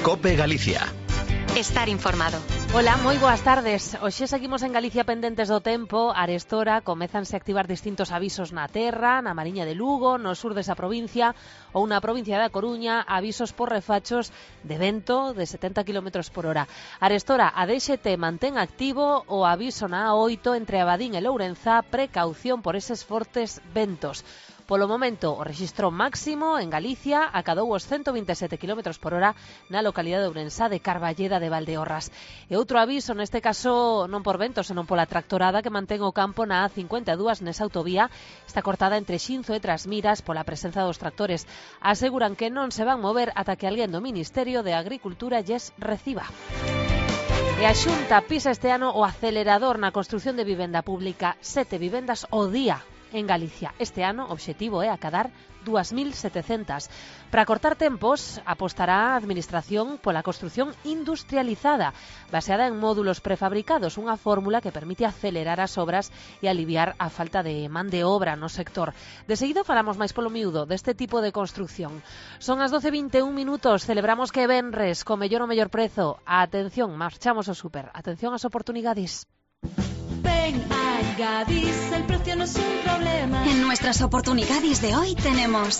COPE Galicia. Estar informado. Ola, moi boas tardes. Hoxe seguimos en Galicia pendentes do tempo. Arestora comezanse a activar distintos avisos na terra, na Mariña de Lugo, no sur desa provincia ou na provincia da Coruña, avisos por refachos de vento de 70 km por hora. Arestora, a DXT mantén activo o aviso na A8 entre Abadín e Lourenza, precaución por eses fortes ventos. Polo momento, o rexistro máximo en Galicia acadou os 127 km por hora na localidade de Ourensa de Carballeda de Valdeorras. E outro aviso, neste caso non por vento, senón pola tractorada que mantén o campo na A52 nesa autovía, está cortada entre Xinzo e Trasmiras pola presenza dos tractores. Aseguran que non se van mover ata que alguén do Ministerio de Agricultura lles reciba. E a Xunta pisa este ano o acelerador na construción de vivenda pública, 7 vivendas ao día en Galicia. Este ano o obxectivo é acadar 2.700. Para cortar tempos, apostará a Administración pola construción industrializada, baseada en módulos prefabricados, unha fórmula que permite acelerar as obras e aliviar a falta de man de obra no sector. De seguido falamos máis polo miúdo deste tipo de construcción. Son as 12:21 minutos, celebramos que venres, co mellor o mellor prezo. Atención, marchamos ao súper. Atención ás oportunidades. Ven a Gadis, el precio no es un problema. En nuestras oportunidades de hoy tenemos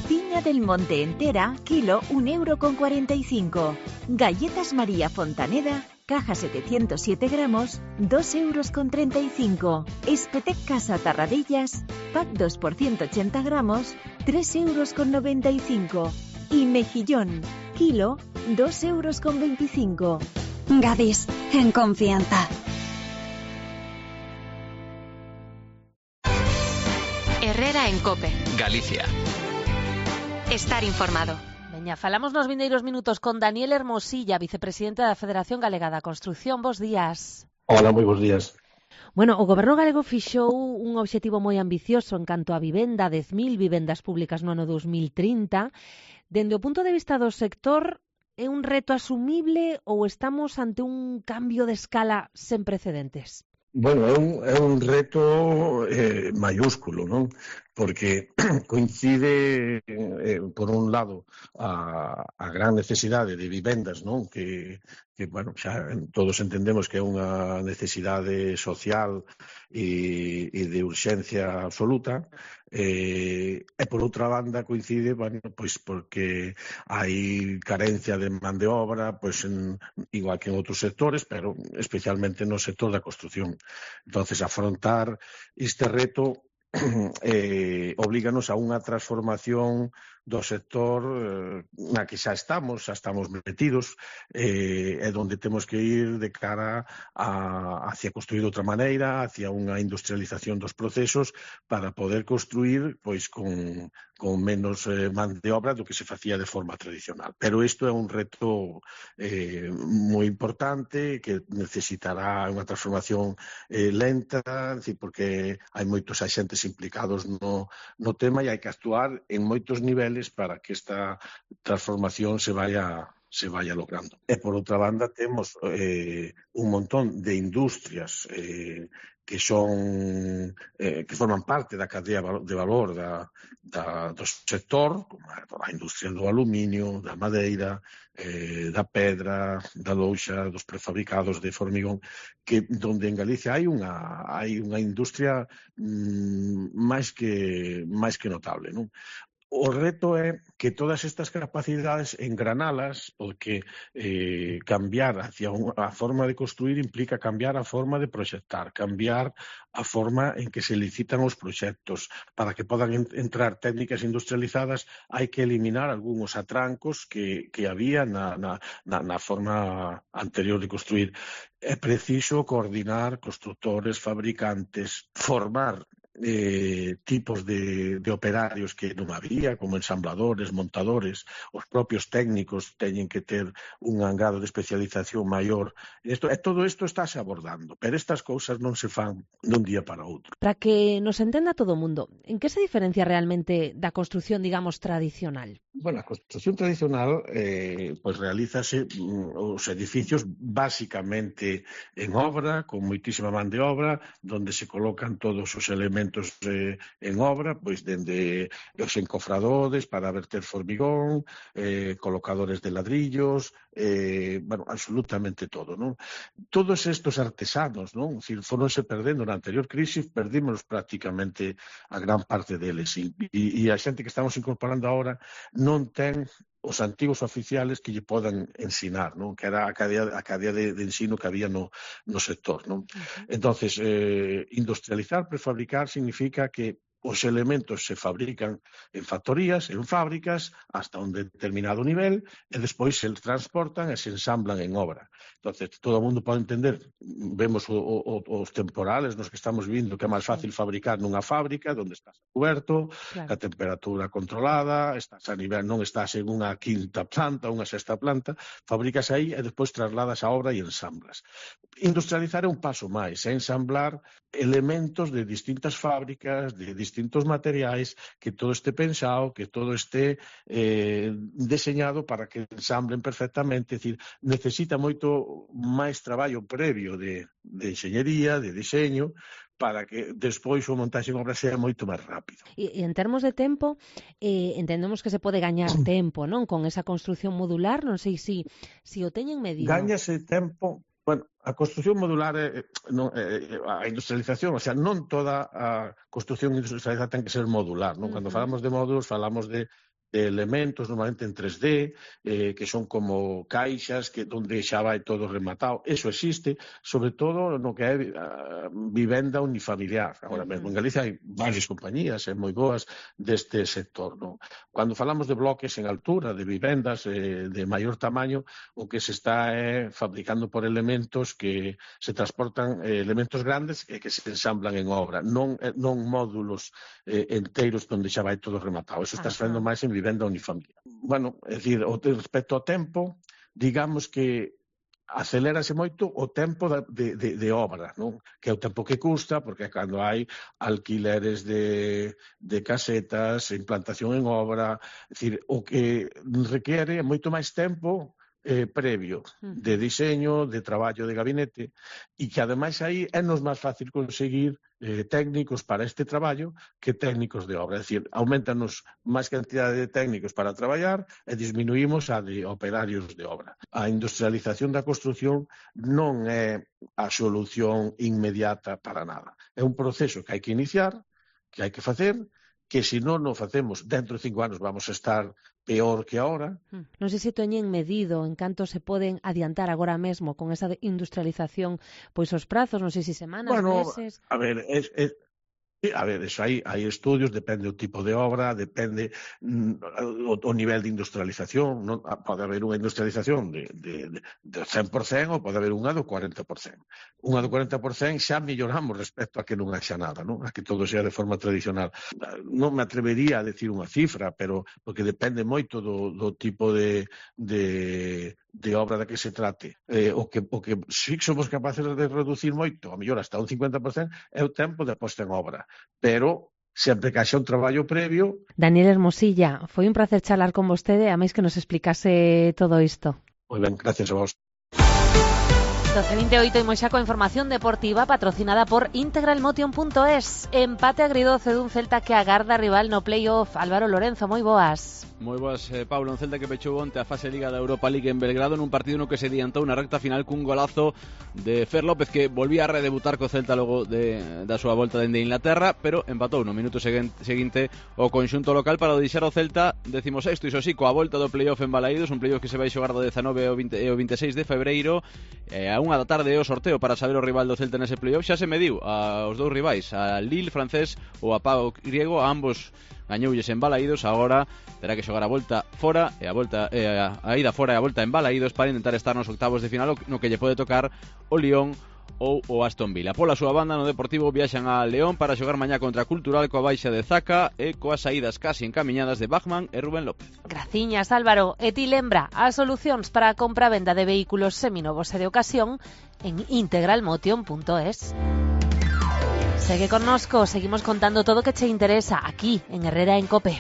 Piña del Monte entera, kilo 1,45 €. Galletas María Fontaneda, caja 707 gramos, 2,35 €. Espetec Casa Tarradillas, pack 2 por 180 gramos, 3,95 €. Y mejillón, kilo, 2,25 €. Gadis, en confianza. Herrera en COPE. Galicia. Estar informado. Veña, falamos nos vindeiros minutos con Daniel Hermosilla, vicepresidente da Federación Galega da Construción. Bos días. Hola, moi bons días. Bueno, o Goberno galego fixou un obxectivo moi ambicioso en canto a vivenda, 10.000 vivendas públicas no ano 2030. Dende o punto de vista do sector, é un reto asumible ou estamos ante un cambio de escala sen precedentes? Bueno, é un reto mayúsculo, non? Porque coincide, por un lado, a gran necesidade de vivendas, non? Que bueno, xa todos entendemos que é unha necesidade social e de urxencia absoluta, e por outra banda coincide, bueno, pois porque hai carencia de man de obra, pois igual que en outros sectores, pero especialmente no sector da construción. Entonces, afrontar este reto oblíganos a unha transformación do sector na que xa estamos metidos, e donde temos que ir de cara hacia construir de outra maneira, hacia unha industrialización dos procesos para poder construir pois con menos man de obra do que se facía de forma tradicional. Pero isto é un reto moi importante que necesitará unha transformación lenta, porque hai moitos axentes implicados no tema e hai que actuar en moitos niveles para que esta transformación se vaya logrando. E por outra banda temos un montón de industrias que forman parte da cadea de valor do sector, como a industria do aluminio, da madeira, da pedra, da louxa, dos prefabricados de formigón, que donde en Galicia hai unha industria máis que notable, non? O reto é que todas estas capacidades engranalas, porque cambiar hacia a forma de construir implica cambiar a forma de proxectar, cambiar a forma en que se licitan os proxectos. Para que podan entrar técnicas industrializadas hai que eliminar algúns atrancos que había na forma anterior de construir. É preciso coordinar constructores, fabricantes, formar tipos de operarios que non había, como ensambladores, montadores, os propios técnicos teñen que ter un grado de especialización maior. Todo isto estáse abordando, pero estas cousas non se fan dun día para outro. Para que nos entenda todo o mundo, en que se diferencia realmente da construción, digamos, tradicional? Bueno, a construción tradicional pois realízase os edificios basicamente en obra, con moitísima man de obra, donde se colocan todos os elementos elementos en obra, pois dende os encofradores para verter formigón, colocadores de ladrillos, absolutamente todo, non? Todos estes artesanos, non? Foronse perdendo na anterior crisis, perdimos prácticamente a gran parte deles, e a xente que estamos incorporando agora non ten os antigos oficiales que lle podan ensinar, non? Que era a cadea de ensino que había no sector, non? Entonces, industrializar, prefabricar, significa que os elementos se fabrican en factorías, en fábricas, hasta un determinado nivel, e despois se transportan e se ensamblan en obra. Entonces, todo o mundo pode entender, vemos os temporales nos que estamos vindo, que é máis fácil fabricar nunha fábrica, onde estás coberto, a temperatura controlada, estás a nivel, non estás en unha quinta planta, unha sexta planta, fabricas aí e despois trasladas a obra e ensamblas. Industrializar é un paso máis, é ensamblar elementos de distintas fábricas, de distintos materiais, que todo este pensado, que todo este deseñado para que ensamblen perfectamente. É dicir, necesita moito máis traballo previo de enxeñería, de diseño, para que despois o montaxe en obra sea moito máis rápido. E en termos de tempo, entendemos que se pode gañar tempo, non? Con esa construción modular, non sei se o teñen medido. Gañase tempo. Bueno, a construción modular, a industrialización, o sea, non toda a construción industrializada ten que ser modular, non? Cando falamos de módulos, falamos de elementos normalmente en 3D, que son como caixas onde xa vai todo rematado. Eso existe, sobre todo no que é vivenda unifamiliar. Agora mesmo en Galicia hai varias compañías moi boas deste sector, non? Cando falamos de bloques en altura, de vivendas de maior tamaño, o que se está fabricando por elementos que se transportan, elementos grandes e que se ensamblan en obra, non módulos enteiros onde xa vai todo rematado. Eso está sendo máis en vivenda unifamiliar. Bueno, é dicir, respecto ao tempo, digamos que acelérase moito o tempo de obra, non? Que é o tempo que custa, porque cando hai alquileres de casetas, implantación en obra, é dicir, o que requiere moito máis tempo previo de diseño, de traballo de gabinete, e que ademais aí é nos máis fácil conseguir técnicos para este traballo que técnicos de obra. É dicir, aumentanos máis cantidade de técnicos para traballar e disminuímos a de operarios de obra. A industrialización da construción non é a solución inmediata para nada. É un proceso que hai que iniciar, que hai que facer, que se non o facemos dentro de 5 anos vamos a estar peor que ahora. Non sei se teñen medido en canto se poden adiantar agora mesmo con esa industrialización, pois os prazos, non sei se semanas, meses. A ver, eso hai estudios, depende do tipo de obra, depende o nivel de industrialización, non? Pode haber unha industrialización de 100% ou pode haber unha do 40%. Unha do 40% xa melloramos respecto a que non haxa nada, non? A que todo sea de forma tradicional. Non me atrevería a decir unha cifra, pero porque depende moito do tipo de obra da que se trate. O que si somos capaces de reducir moito, a mellor hasta un 50%, é o tempo de posta en obra. Pero sempre que haxa un traballo previo. Daniel Hermosilla, foi un placer charlar con vostede, a máis que nos explicase todo isto. Moi ben, gracias a vos. 12:28 imos xa coa información deportiva patrocinada por integralmotion.es. Empate agridoce dun Celta que agarda rival no playoff. Álvaro Lorenzo, moi boas. Moi boas, Pablo, un Celta que pechou onte a fase Liga da Europa League en Belgrado nun partido no que se adiantou na recta final cun golazo de Fer López, que volvía a redebutar co Celta logo da súa volta dende Inglaterra, pero empatou no minuto seguinte o conxunto local para deixar o Celta 16º, iso sí, coa volta do playoff en Balaídos, un playoff que se vai xogar do 19 ao 26 de febreiro, a 1 da tarde o sorteo para saber o rival do Celta nese playoff. Xa se mediu aos dous rivais, a Lille francés ou a Pau griego, a ambos gañoulles en Balaídos. Agora terá que xogar a volta fora e a ida fora e a volta en Balaídos para intentar estar nos octavos de final, no que lle pode tocar o Lyon ou o Aston Villa. Pola súa banda, no Deportivo viaxan a León para xogar mañá contra Cultural coa baixa de Zaka e coas saídas casi encamiñadas de Bachmann e Rubén López. Graciñas, Álvaro. E ti lembra as solucións para a compra-venda de vehículos seminovos e de ocasión en integralmotion.es. Segue connosco, seguimos contando todo o que che interesa aquí en Herrera en Cope.